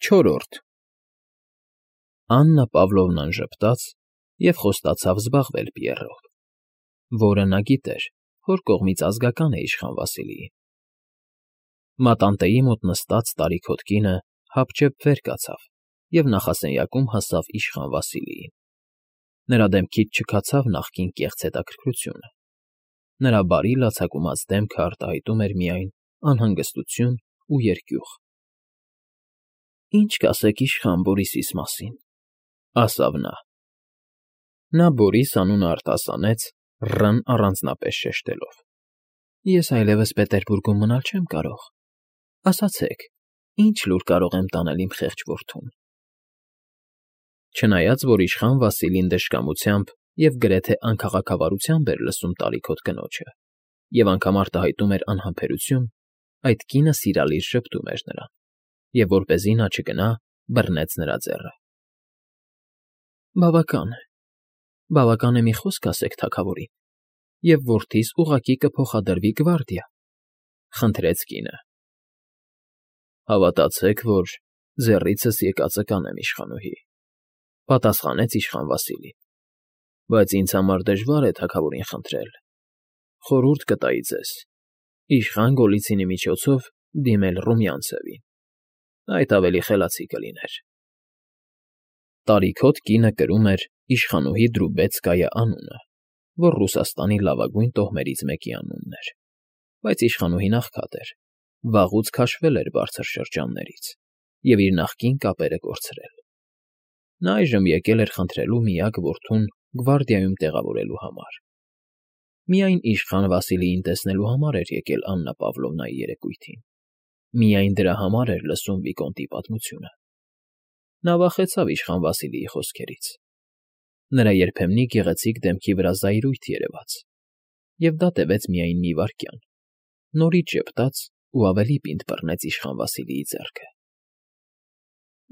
Չորրորդ Աննա Պավլովնան ժպտաց և խոստացավ զբաղվել Պիեռով, որը նա գիտեր, որ կողմից ազգական է իշխան Վասիլիին։ Մատանտեի մոտ նստած տարիքոտ կինը հապճեպ վեր կացավ և նախասենյակում հասավ իշխան Վասիլիին։ Նրա դեմքից չքացավ նախկին կեղծ հետաքրքրությունը, նրա բարի լացակումած դեմքը արտահայտում էր միայն անհանգստություն ու երկյուղ։ ֊ Ի՞նչ կասեք իշխան Բորիսիս մասին,֊ ասավ նա։ Նա Բորիս անունը արտասանեց ռ֊ն առանձնապես շեշտելով։ ֊ Ես այլևս Պետերբուրգում մնալ չեմ կարող։ Ասացեք, ի՞նչ լուր կարող եմ տանել իմ խեղճ որդուն։ Չնայած որ իշխան Վասիլին դժկամությամբ և գրեթե անքաղաքավարությամբ էր լսում տարիքոտ կնոջը և անգամ արտահայտում էր անհամբերություն, այդ կինը սիրալիր ժպտում էր նրան և, որպեսզի նա չգնա, բռնեց նրա ձեռը։ Բավական է մի խոսք ասեք թագավորին, և որդիս ուղղակի կփոխադրվի գվարդիա,֊ խնդրեց կինը։ Հավատացեք, որ ձեռիցս եկածը կանեմ, իշխանուհի,֊ պատասխանեց իշխան Վասիլին,֊ բայց ինձ համար դժվար է թագավորին խնդրել։ Խորհուրդ կտայի ձեզ, իշխան Գոլիցինի միջոցով դիմել Ռումյանցևին. այդ ավելի խելացի կլիներ։ Տարիքոտ կինը կրում էր իշխանուհի Դրուբեցկայա անունը, որ Ռուսաստանի լավագույն տոհմերից մեկի անունն էր, բայց իշխանուհին աղքատ էր, վաղուց քաշվել էր բարձր շրջաններից և իր նախկին կապերը կորցրել։ Նա այժմ եկել էր խնդրելու միակ որդուն գվարդիայում տեղավորելու համար։ Միայն իշխան Վասիլիին տեսնելու համար էր եկել Աննա Պավլովնայի երեկույթին, միայն դրա համար էր լսում վիկոնտի պատմությունը։ Նա վախեցավ իշխան Վասիլիի խոսքերից։ Նրա երբեմնի գեղեցիկ դեմքի վրա զայրույթ երևաց, և դա տևեց միայն մի վայրկյան, նորից ժպտաց ու ավելի պինդ բռնեց իշխան Վասիլիի ձեռքը։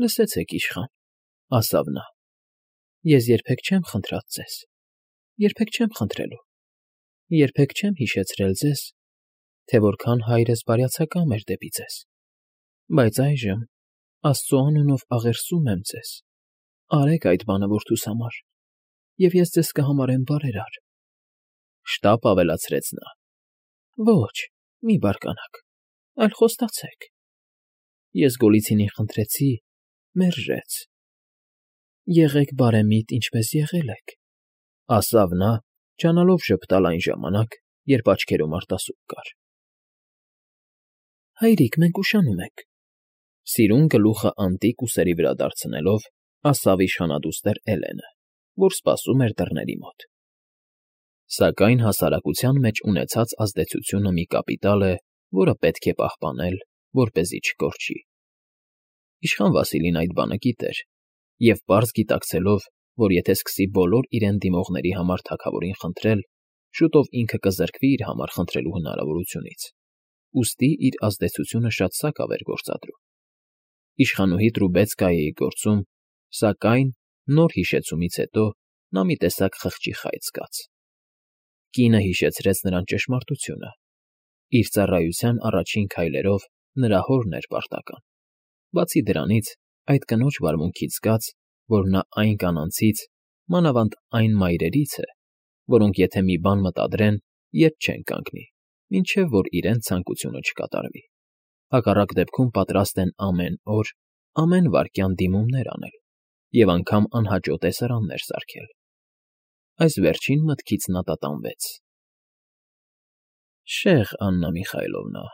Լսեցեք, իշխան,֊ ասավ նա,֊ ես երբեք չեմ խնդրած ձեզ, երբեք չեմ խնդրելու, երբեք չեմ հիշեցրել ձեզ, թե որքան հայրս բարյացակամ էր դեպի ձեզ, բայց այժմ, Աստծո անունով, աղերսում եմ ձեզ, արեք այդ բանը որդուս համար, և ես ձեզ կհամարեմ բարերար,֊ շտապ ավելացրեց նա։ Ոչ, մի բարկանաք, այլ խոստացեք։ Ես Գոլիցինին խնդրեցի, մերժեց։ Եղեք բարեմիտ, ինչպես եղել եք,֊ ասավ նա, ջանալով ժպտալ այն ժամանակ, երբ աչքերում արտասուք կար։ Հայրիկ, մենք ուշանում ենք,֊ սիրուն գլուխը անտիկ ուսերի վրա դարձնելով, ասավ իշխանադուստր Էլենը, որ սպասում էր դռների մոտ։ Սակայն հասարակության մեջ ունեցած ազդեցությունը մի կապիտալ է, որը պետք է պահպանել, որպեսզի չկորչի։ Իշխան Վասիլին այդ բանը գիտեր, և պարզ գիտակցելով, որ եթե սկսի բոլոր իրեն դիմողների համար թագավորին խնդրել, շուտով ինքը կզրկվի իր համար խնդրելու հնարավորությունից, ուստի իր ազդեցությունը շատ սակավ էր գործադրում։ Իշխանուհի Տրուբեցկայայի գործում, սակայն, նոր հիշեցումից հետո նա մի տեսակ խղճի խայծ զգաց։ Կինը հիշեցրեց նրան ճշմարտությունը. իր ծառայության առաջին քայլերով նրա հորն էր պարտական։ Բացի դրանից, այդ կնոջ վարմունքից զգաց, որ նա այն կանանցից, մանավանդ այն մայրերից է, որոնք եթե մի բան մտադրեն, ետ չեն կանգնի, մինչև որ իրենց ցանկությունը չկատարվի։ Հակառակ դեպքում պատրաստ են ամեն օր, ամեն վայրկյան դիմումներ անել և անգամ անհաճո տեսարաններ սարքել։ Այս վերջին մտքից նա տատանվեց։ Շեղ Աննա Միխայլովնա,֊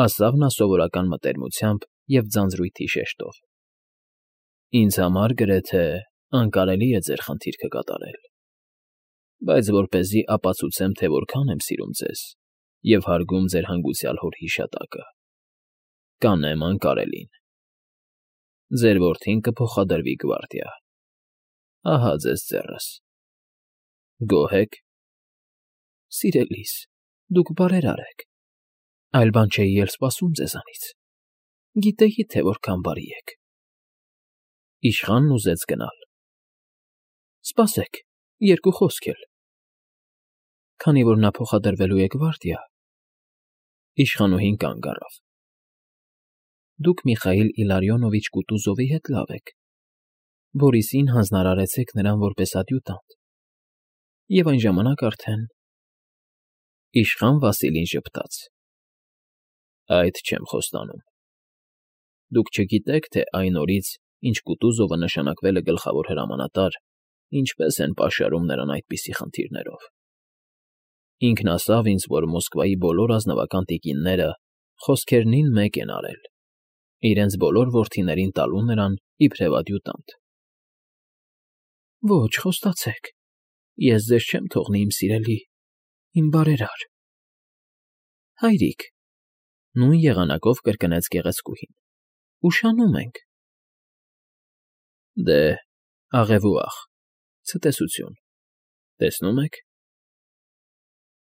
ասավ նա սովորական մտերմությամբ և ձանձրույթի շեշտով,֊ ինձ համար գրեթե անկարելի է ձեր խնդիրքը կատարել, բայց որպեսզի ապացուցեմ, թե որքան եմ սիրում ձեզ և հարգում ձեր հանգուցյալ հոր հիշատակը, կանեմ անկարելին. ձեր որդին կփոխադրվի գվարդիա։ Ահա ձեզ ձեռս։ Գոհ ե՞ք։ Սիրելիս, դուք բարերար եք, այլ բան չէի էլ սպասում ձեզանից, գիտեի, թե որքան բարի եք։ Իշխանն ուզեց գնալ։ Սպասեք, երկու խոսք էլ։ Քանի որ նա փոխադրվելու է գվարդիա, իշխանուհին կանգ առավ։ դուք Միխայիլ Իլարիոնովիչ Կուտուզովի հետ լավ եք, Բորիսին հանձնարարեցեք նրան որպես ադյուտանտ, և այն ժամանակ արդեն… Իշխան Վասիլին ժպտաց. Այդ չեմ խոստանում։ Դուք չգիտեք, թե այն օրից, ինչ Կուտուզովը նշանակվել է գլխավոր հրամանատար, ինչպես են պաշարում նրան այդպիսի խնդիրներով։ Ինքն ասավ ինձ, որ Մոսկվայի բոլոր ազնվական տիկինները խոսքերնին մեկ են արել, իրենց բոլոր որդիներին տալու նրան իբրև ադյուտանտ։ Ոչ, խոստացեք, ես ձեզ չեմ թողնի, իմ սիրելի, իմ բարերար։ Հայրիկ, նույն եղանակով կրկնեց գեղեցկուհին, ուշանում ենք։ Դե, աղևուաղ, ցտեսություն, տեսնում եք։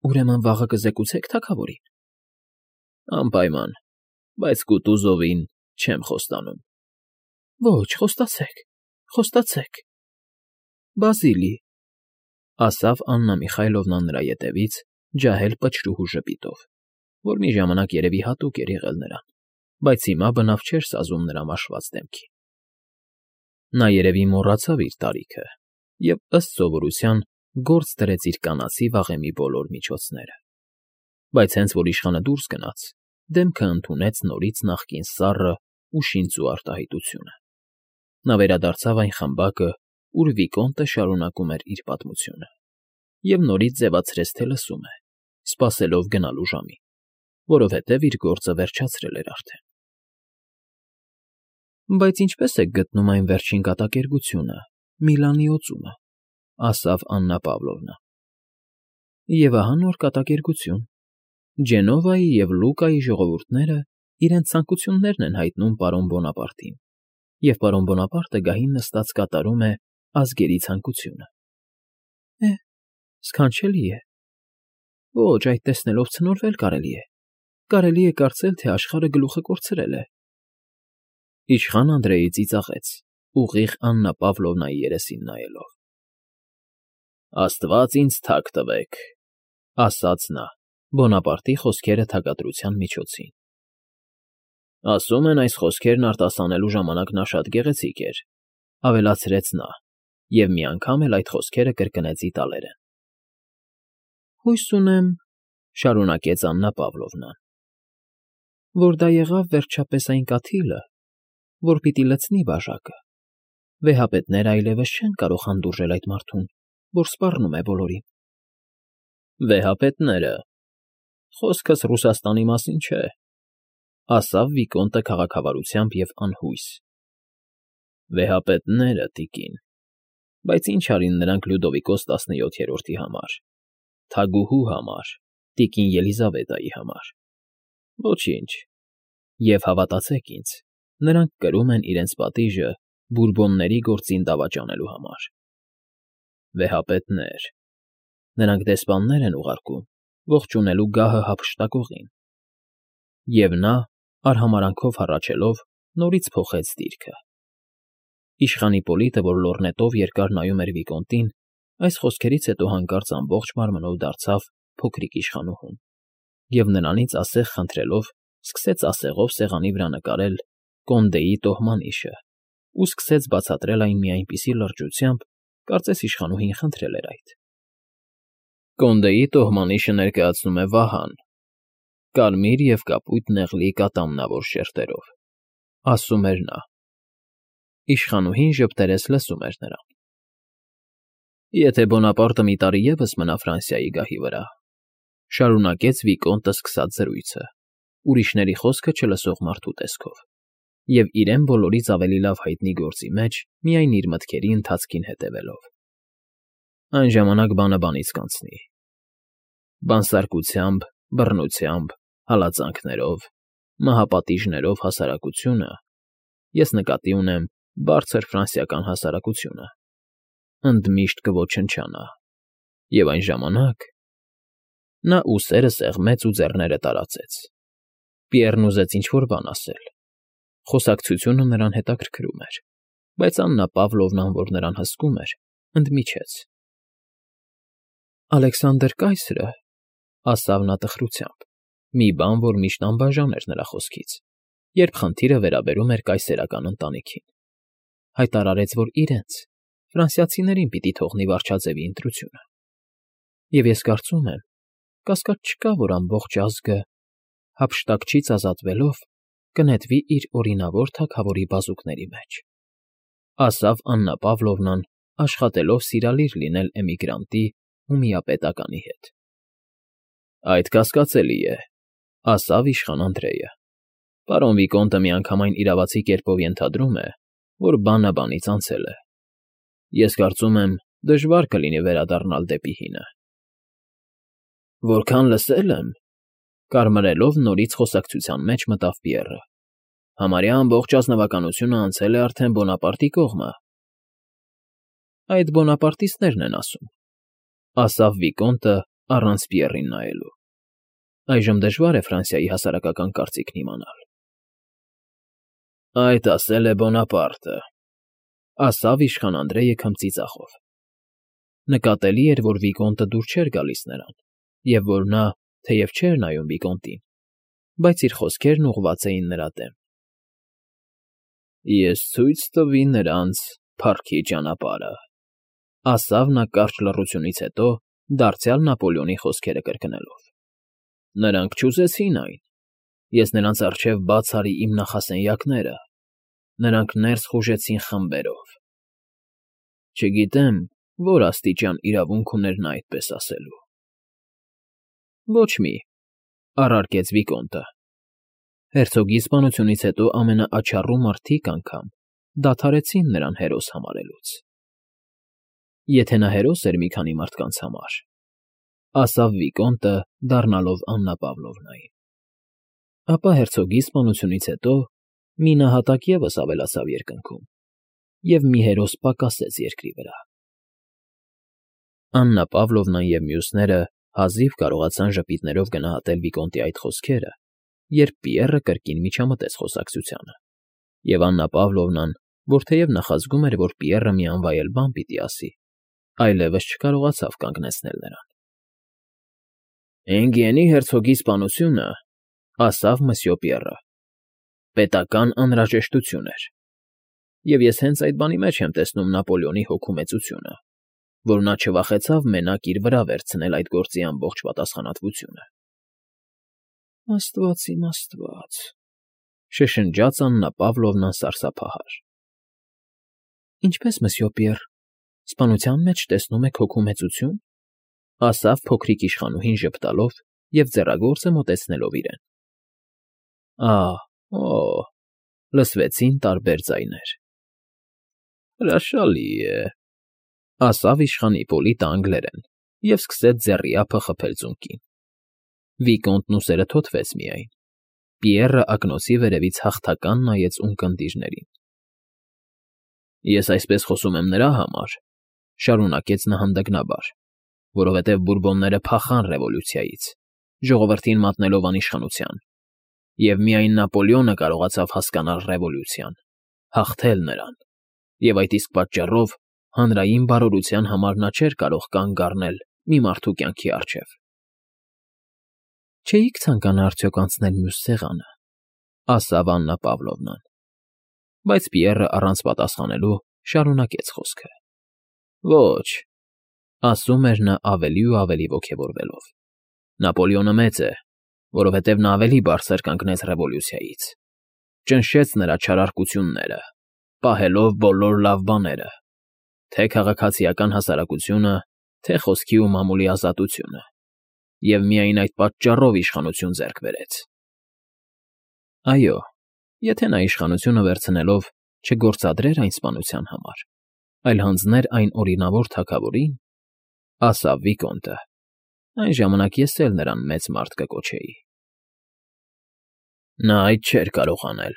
Ուրեմն վաղը կզեկուցեք թագավորին։ Անպայման, բայց Կուտուզովին չեմ խոստանում։ Ոչ, խոստացեք, խոստացեք։ Բազիլի, ասավ Աննա Միխայլովնա նրա ետևից, ջահել պչրուհու ժպիտով, որ մի ժամանակ երևի հատուկ էր եղել նրան, բայց հիմա բնավ չէր սազում նրա մաշված դեմքին։ Նա երևի մոռացավ իր տարիքը և, ըստ սովորության, գործ դրեց իր կանացի վաղեմի բոլոր միջոցները, բայց հենց որ իշխանը դուրս գնաց, դեմքը ընդունեց նորից նախկին սառը ու շինծու արտահայտությունը։ Նա վերադարձավ այն խմբակը, ուր Վիկոնտը շարունակում էր իր պատմությունը, և նորից ձևացրեց, թե լսում է, սպասելով գնալու ժամին, որովհետև իր գործը վերջացրել էր արդեն։ Բայց ինչպե՞ս եք գտնում այն վերջին կատակերգությունը, Միլանի օծումը, ասավ Աննա Պավլովնա։ Եվ ահա նոր կատակերգություն։ Ջենովայի և Լուկայի ժողովուրդները իրենց ցանկություններն են հայտնում պարոն Բոնապարտին, և պարոն Բոնապարտը գահին նստած կատարում է ազգերի ցանկությունը։ Սքանչելի է։ Ոչ, այդ տեսնելով ցնորվել կարելի է։ Կարելի է կարծել, թե աշխարհը գլուխը կորցրել է։ Իշխան Անդրեի ծիծաղեց, ուղիղ Աննա Պավլովնայի երեսին նայելով։ Աստված ինձ թակ տվեք, ասաց նա, Բոնապարտի խոսքերը թագադրության միջոցին։ Ասում են, այս խոսքերն արտասանելու ժամանակ նա շատ գեղեցիկ էր, ավելացրեց նա, և մի անգամ էլ այդ խոսքերը կրկնեց իտալերեն։ Հույս ունեմ, շարունակեց Աննա Պավլովնան, որ դա եղավ վերջապես այն կաթիլը, որ պիտի լցնի բաժակը։ Վեհապետները այլևս չեն կարող հանդուրժել այդ մարդուն, որ սպառնում է բոլորին։ Վեհապետները… Խոսքս Ռուսաստանի մասին չէ, ասավ Վիկոնտը քաղաքավարությամբ և անհույս։ Վեհապետները, տիկին, բայց ինչ արին նրանք Լյուդովիկոս 17-րդի համար, թագուհու համար, տիկին Ելիզավետայի համար։ Ոչինչ, և հավատացեք ինձ, նրանք կրում են իրենց պատիժը Բուրբոնների գործին դավաճանելու համար։ Վեհապետներ… Նրանք դեսպաններ են ուղարկում, ողջունելու գահը հափշտակողին։ Եվ նա, արհամարհանքով հառաչելով, նորից փոխեց դիրքը։ Իշխան Հիպոլիտը, որ լոռնետով երկար նայում էր Վիկոնտին, այս խոսքերից հետո հանկարծ ամբողջ մարմնով դարձավ փոքրիկ իշխանուհուն, և նրանից ասեղ խնդրելով սկսեց ասեղով սեղանի վրա նկարել Կոնդեի տոհմանիշը ու սկսեց բացատրել այն մի այնպիսի լրջությամբ, կարծես իշխանուհին խնդրել էր այդ։ Կոնդեի տոհմանիշը ներկայացնում է Վահան, կարմիր և կապույտ նեղլի կատամնավոր շերտերով, ասում էր նա։ Իշխանուհին ժպտերես լսում էր նրան։ Եթե Բոնապարտը մի տարի ևս մնա Ֆրանսիայի գահի վրա, շարունակեց Վիկոնտը սկսած զրույցը, ուրիշների խոսքը չլսող մարդու տեսքով, և իրեն բոլորից ավելի լավ հայտնի գործի մեջ միայն իր մտքերի ընթացքին հետևելով։ Այն ժամանակ բանը բանից կանցնի։ Բանսարկությամբ, բռնությամբ, հալածանքներով, մահապատիժներով հասարակությունը, ես նկատի ունեմ բարձր ֆրանսիական հասարակությունը, ընդմիշտ կոչնչանա, և այն ժամանակ… Նա ուսերը սեղմեց ու ձեռները տարածեց։ Պիեռն ուզեց ինչ֊որ բան ասել։ Խոսակցությունը նրան հետաքրքրում էր, բայց Աննա Պավլովնան, որ նրան հսկում էր, ընդմիջեց։ Ալեքսանդր կայսրը, ասավ նա տխրությամբ, մի բան, որ միշտ անբաժան էր նրա խոսքից, երբ խնդիրը վերաբերում էր կայսերական ընտանիքին. հայտարարեց, որ իրենց, ֆրանսիացիներին պիտի թողնի վարչաձևի ընտրությունը։ Եվ ես կարծում եմ, կասկած չկա, որ ամբողջ ազգը, հափշտակչից ազատվելով, կնետվի իր օրինավոր թագավորի բազուկների մեջ, ասավ Աննա Պավլովնան, աշխատելով սիրալիր լինել էմիգրանտի ու միապետականի հետ։ Այդ կասկածելի է, ասավ իշխան Անդրեյը։ Պարոն Վիկոնտը միանգամայն իրավացի կերպով ենթադրում է, որ բանը բանից անցել է։ Ես կարծում եմ, դժվար կլինի վերադառնալ դեպի հինը։ Որքան լսել եմ, կարմրելով նորից խոսակցության մեջ մտավ Պիեռը։ Համարյա ամբողջ ազնվականությունը անցել է արդեն Բոնապարտի կողմը։ Այդ բոնապարտիստներն են ասում, ասավ Վիկոնտը առանց Պիեռին նայելու։ Այժմ դժվար է Ֆրանսիայի հասարակական կարծիքն իմանալ։ Այդ ասել է Բոնապարտը, ասավ իշխան Անդրեյը քմծի ծախով։ Նկատելի էր, որ Վիկոնտը դուր չէր գալիս նրան, և որ նա, թեև չէր նայում Վիկոնտին, բայց իր խոսքերն ուղղված էին նրա դեմ։ Ես ցույց տվի նրանց փառքի ճանապարհը, ասավ նա կարճ լռությունից հետո, դարձյալ Նապոլեոնի խոսքերը կրկնելով։ Նրանք չուզեցին այն։ Ես նրանց առջև բաց արի իմ նախասենյակները, նրանք ներս խուժեցին խմբերով։ Չգիտեմ, որ աստիճան իրավունք ուներ նա այդպես ասելու։ Ոչ մի, առարկեց Վիկոնտը։ Հերցոգի սպանությունից հետո ամենաաչառու մարդիկ անգամ դադարեցին նրան հերոս համարելուց։ Եթե նա հերոս էր մի քանի մարդկանց համար, ասավ Վիկոնտը, դառնալով Աննա Պավլովնային, ապա հերցոգի սպանությունից հետո մի նահատակ ևս ավելացավ երկնքում, և մի հերոս պակասեց երկրի վրա։ Աննա Պավլովնան և մյուսները հազիվ կարողացան ժպիտներով գնահատել Վիկոնտի այդ խոսքերը, երբ Պիեռը կրկին միջամտեց խոսակցությանը, և Աննա Պավլովնան, որ թեև նախազգում էր, որ Պիեռը մի անվայել բան պիտի ասի, այլևս չկարողացավ կանգնեցնել նրան։ Էնգիենի հերցոգի սպանությունը, ասավ մսյո Պիեռը, պետական անհրաժեշտություն էր, և ես հենց այդ բանի մեջ եմ տեսնում Նապոլեոնի հոգու մեծությունը, որ նա չվախեցավ մենակ իր վրա վերցնել այդ գործի ամբողջ պատասխանատվությունը։ Աստված իմ Աստված, շշնջաց Աննա Պավլովնան սարսափահար։ Ինչպես, մսյո Պիեռ, սպանության մեջ տեսնում եք հոգու մեծություն, ասավ փոքրիկ իշխանուհին ժպտալով և ձեռագործը մոտեցնելով իրեն։ Օ, լսվեցին տարբեր ձայներ։ Հրաշալի է, ասավ իշխան Իպոլիտը անգլերեն և սկսեց ձեռի ափը խփել ծունկին։ Վիկոնտն ուսերը թոթվեց միայն։ Պիեռը ակնոցի վերևից հաղթական նայեց ունկնդիրներին։ Ես այսպես խոսում եմ նրա համար, շարունակեց նա հանդգնաբար, որովհետև բուրբոնները փախան ռևոլյուցիայից, ժողովրդին մատնելով անիշխանության, և միայն Նապոլեոնը կարողացավ հասկանալ ռևոլյուցիան, հաղթել նրան, և այդ իսկ պատճառով հանրային բարօրության համար նա չէր կարող կանգ առնել մի մարդու կյանքի առջև։ Չէիք ցանկանա արդյոք անցնել մյուս սեղանը, ասավ Աննա Պավլովնան, բայց Պիեռը առանց պատասխանելու շարունակեց խոսքը։ Ոչ, ասում էր նա ավելի ու ավելի ոգևորվելով։ Նապոլեոնը մեծ է, որովհետև նա ավելի բարձր կանգնեց ռևոլյուցիայից, ճնշեց նրա չարարկությունները, պահելով բոլոր լավ բաները, թե քաղաքացիական հասարակությունը, թե խոսքի ու մամուլի ազատությունը, և միայն այդ պատճառով իշխանություն ձեռք բերեց։ Այո, եթե նա իշխանությունը վերցնելով չգործադրեր այն սպանության համար, այլ հանձներ այն օրինավոր թագավորին, ասավ Վիկոնտը, այն ժամանակ ես էլ նրան մեծ մարդ կկոչեի։ Նա այդ չէր կարող անել։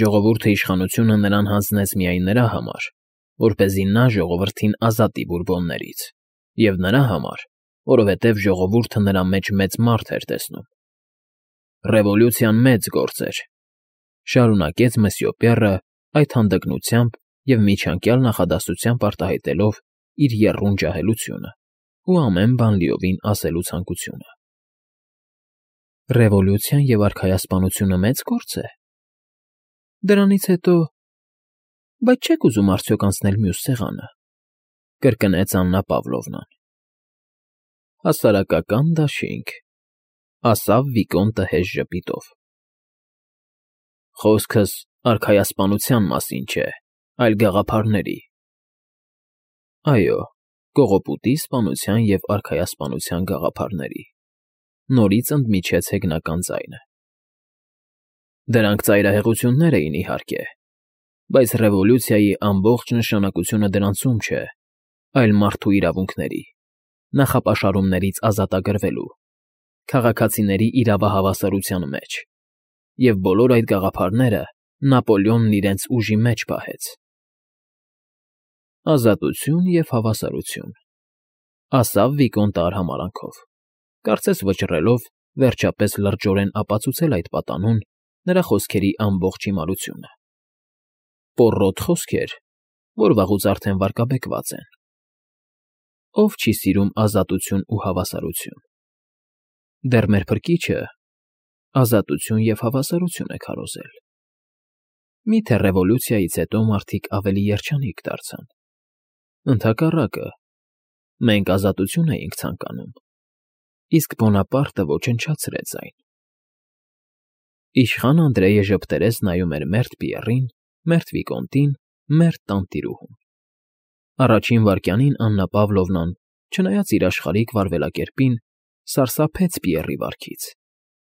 Ժողովուրդը իշխանությունը նրան հանձնեց միայն նրա համար, որպեսզի նա ժողովրդին ազատի բուրբոններից, և նրա համար, որովհետև ժողովուրդը նրա մեջ մեծ մարդ էր տեսնում։ Ռևոլյուցիան մեծ գործ էր, շարունակեց մսյո Պիեռը այդ հանդգնությամբ և միջանկյալ նախադասությամբ արտահայտելով իր եռուն ջահելությունը ու ամեն բան լիովին ասելու ցանկությունը։ Ռևոլյուցիան և արքայասպանությունը մեծ գործ է։ Դրանից հետո… Բայց չե՞ք ուզում արդյոք անցնել մյուս սեղանը,֊ կրկնեց Աննա Պավլովնան։ Հասարակական դաշինք,֊ ասավ Վիկոնտը հեշտ ժպիտով։ Խոսքս արքայասպանության մասին չէ, այլ գաղափարների։ Այո, կողոպուտի սպանության և արքայասպանության գաղափարների,֊ նորից ընդմիջեց հեգնական ձայնը։ Դրանք ծայրահեղություններ էին, իհարկե, բայց ռևոլյուցիայի ամբողջ նշանակությունը դրանցում չէ, այլ մարդու իրավունքների, նախապաշարումներից ազատագրվելու, քաղաքացիների իրավահավասարության մեջ, և բոլոր այդ գաղափարները Նապոլեոնն իրենց ուժի մեջ պահեց։ Ազատություն և հավասարություն,֊ ասավ Վիկոնտը արհամարհանքով, կարծես վճռելով, վերջապես լրջորեն ապացուցել այդ պատանուն նրա խոսքերի ամբողջ հիմարությունը։ Պոռոտ խոսքեր, որ վաղուց արդեն վարկաբեկված են։ Ով չի սիրում ազատություն ու հավասարություն։ Դեռ մեր փրկիչը ազատություն և հավասարություն է քարոզել։ Միթե ռևոլյուցիայից հետո մարդիկ ավելի երջանիկ դարձան։ Ընդհակառակը, մենք ազատություն էինք ցանկանում, իսկ Բոնապարտը ոչնչացրեց այն։ Իշխան Անդրեյը ժպտերես նայում էր մերթ Պիեռին, մերթ Վիկոնտին, մերթ տանտիրուհուն։ Առաջին վայրկյանին Աննա Պավլովնան, չնայած իր աշխարհիկ վարվելակերպին, սարսափեց Պիեռի վարքից,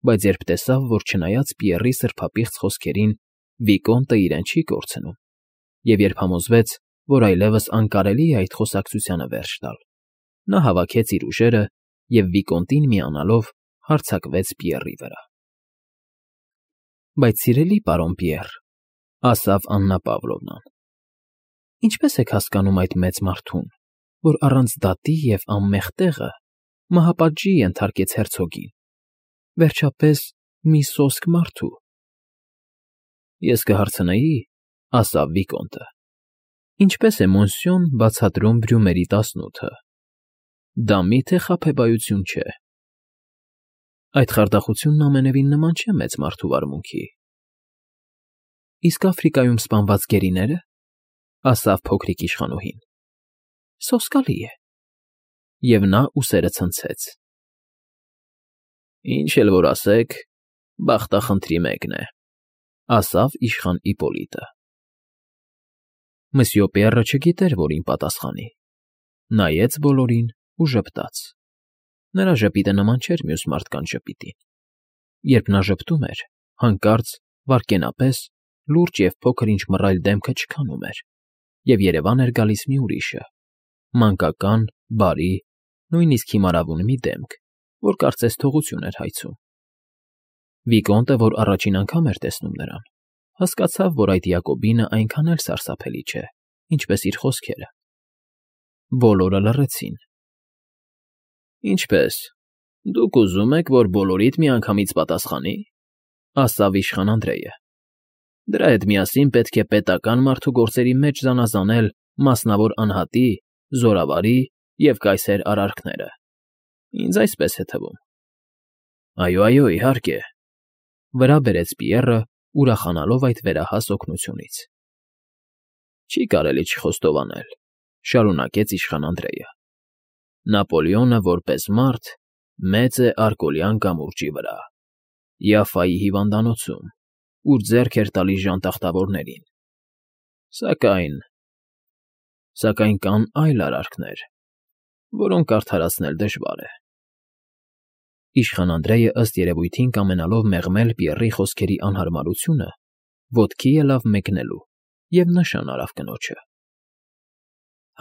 բայց երբ տեսավ, որ չնայած Պիեռի սրբապիղծ խոսքերին Վիկոնտը իրեն չի կորցնում, և երբ համոզվեց, որ այլևս անկարելի է այդ խոսակցությանը վերջ տալ, նա հավաքեց իր ուժերը և Վիկոնտին միանալով հարձակվեց Պիեռի վրա։ Բայց սիրելի պարոն Պիեռ,֊ ասավ Աննա Պավլովնան, ինչպե՞ս եք հասկանում այդ մեծ մարդուն, որ առանց դատի և անմեղ տեղը մահապատժի ենթարկեց հերցոգին, վերջապես մի սոսկ մարդու։ Ես կհարցնեի,֊ ասավ Վիկոնտը, ինչպե՞ս է Մոնսյոն բացատրում Բրյումերի 18-ը։ Դա մի՞թե խաբեբայություն չէ։ Այդ խարդախությունն ամենևին նման չէ մեծ մարդու վարմունքի։ Իսկ Աֆրիկայում սպանված գերիները,֊ ասավ փոքրիկ իշխանուհին, սոսկալի է։ Եվ նա ուսերը ցնցեց։ Ինչ էլ որ ասեք, բախտախնդրի մեկն է,֊ ասավ իշխան Իպոլիտը։ Մսյո Պիեռը չգիտեր որին պատասխանի, նայեց բոլորին ու ժպտաց։ Նրա ժպիտը նման չէր մյուս մարդկանց ժպիտին։ Երբ նա ժպտում էր, հանկարծ, վայրկենապես, լուրջ և փոքր-ինչ մռայլ դեմքը չքանում էր, և երևան էր գալիս մի ուրիշը, մանկական, բարի, նույնիսկ հիմարավուն մի դեմք, որ կարծես թողություն էր հայցում։ Վիկոնտը, որ առաջին անգամ էր տեսնում նրան, հասկացավ, որ այդ Յակոբինը այնքան էլ սարսափելի չէ, ինչպես իր խոսքերը։ Բոլորը լռեցին։ Ինչպե՞ս, դուք ուզում եք, որ բոլորիդ միանգամից պատասխանի,֊ ասավ իշխան Անդրեյը։ Դրա հետ միասին պետք է պետական մարդու գործերի մեջ զանազանել մասնավոր անհատի, զորավարի և կայսեր արարքները։ Ինձ այսպես է թվում։ Այո, իհարկե,֊ վրա բերեց Պիեռը, ուրախանալով այդ վերահաս օգնությունից։ Չի կարելի չխոստովանել,֊ շարունակեց իշխան Անդրեյը։ Նապոլեոնը որպես մարդ մեծ է Արկոլյան կամուրջի վրա, Յաֆայի հիվանդանոցում, ուր ձեռք էր տալիս ժանտախտավորներին։ Սակայն կան այլ արարքներ, որոնք արդարացնել դժվար է։ Իշխան Անդրեյը ըստ երևույթին կամենալով մեղմել Պիեռի խոսքերի անհարմարությունը, ոտքի ելավ մեկնելու և նշան արավ կնոջը։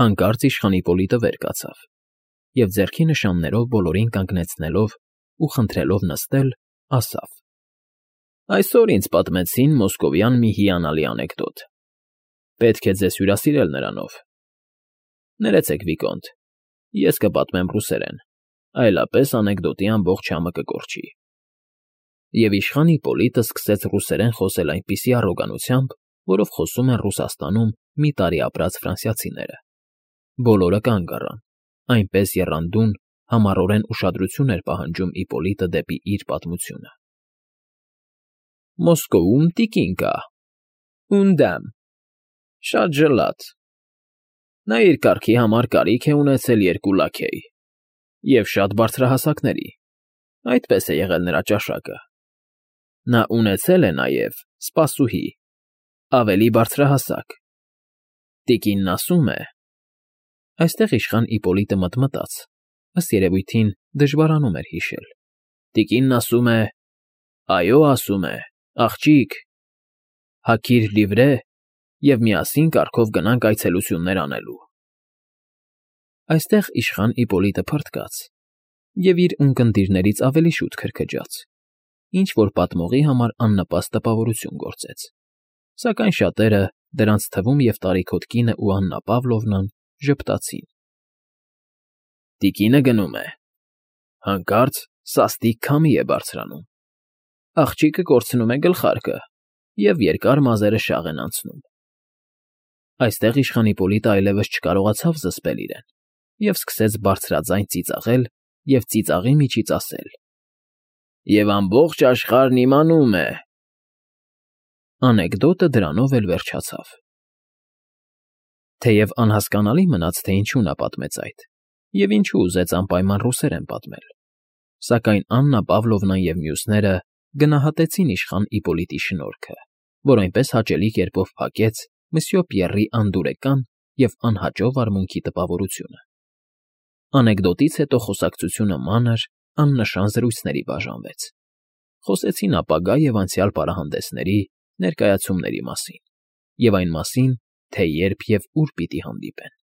Հանկարծ իշխան Իպոլիտը վեր կացավ և ձեռքի նշաններով բոլորին կանգնեցնելով ու խնդրելով նստել, ասավ. Այսօր ինձ պատմեցին մոսկովյան մի հիանալի անեկդոտ։ Պետք է ձեզ հյուրասիրել նրանով։ Ներեցեք, Վիկոնտ, ես կպատմեմ ռուսերեն, այլապես անեկդոտի ամբողջ համը կկորչի։ Եվ իշխան Իպոլիտը սկսեց ռուսերեն խոսել այնպիսի առոգանությամբ, որով խոսում են Ռուսաստանում մի տարի ապրած ֆրանսիացիները։ Բոլորը կանգ առան, այնպես եռանդուն, համառորեն ուշադրություն էր պահանջում Իպոլիտը դեպի իր պատմությունը։ Մոսկովում տիկին կա, Ունդամ, շատ ջլատ։ Նա իր կարգի համար կարիք է ունեցել 2 լաքեի և շատ բարձրահասակների, այդպես է եղել նրա ճաշակը։ Նա ունեցել է նաև սպասուհի, ավելի բարձրահասակ։ Տիկինն ասում է… Այստեղ իշխան Իպոլիտը մտմտաց, ըստ երևույթին դժվարանում էր հիշել։ Տիկինն ասում է… Այո, ասում է, աղջիկ, հագիր լիվրե և միասին կառքով գնանք այցելություններ անելու։ Այստեղ իշխան Իպոլիտը փռթկաց և իր ունկնդիրներից ավելի շուտ քրքջաց, ինչ֊որ պատմողի համար աննպաստ տպավորություն գործեց, սակայն շատերը, դրանց թվում և տարիքոտ կինն ու Աննա Պավլովնան, ժպտացին։ Տիկինը գնում է, հանկարծ սաստիկ քամի է բարձրանում, աղջիկը կորցնում է գլխարկը և երկար մազերը շաղ են անցնում։ Այստեղ իշխան Իպոլիտը այլևս չկարողացավ զսպել իրեն և սկսեց բարձրաձայն ծիծաղել և ծիծաղի միջից ասել. Եվ ամբողջ աշխարհն իմանում է… Անեկդոտը դրանով էլ վերջացավ։ Թեև անհասկանալի մնաց, թե ինչու նա պատմեց այդ և ինչու ուզեց անպայման ռուսերեն պատմել, սակայն Աննա Պավլովնան և մյուսները գնահատեցին իշխան Իպոլիտի շնորհքը, որ այնպես հաճելի կերպով փակեց մսյո Պիեռի անդուրեկան և անհաճո վարմունքի տպավորությունը։ Անեկդոտից հետո խոսակցությունը մանր, աննշան զրույցների բաժանվեց։ Խոսեցին ապագա և անցյալ պարահանդեսների, ներկայացումների մասին և այն մասին, թե երբ և ուր պիտի հանդիպեն։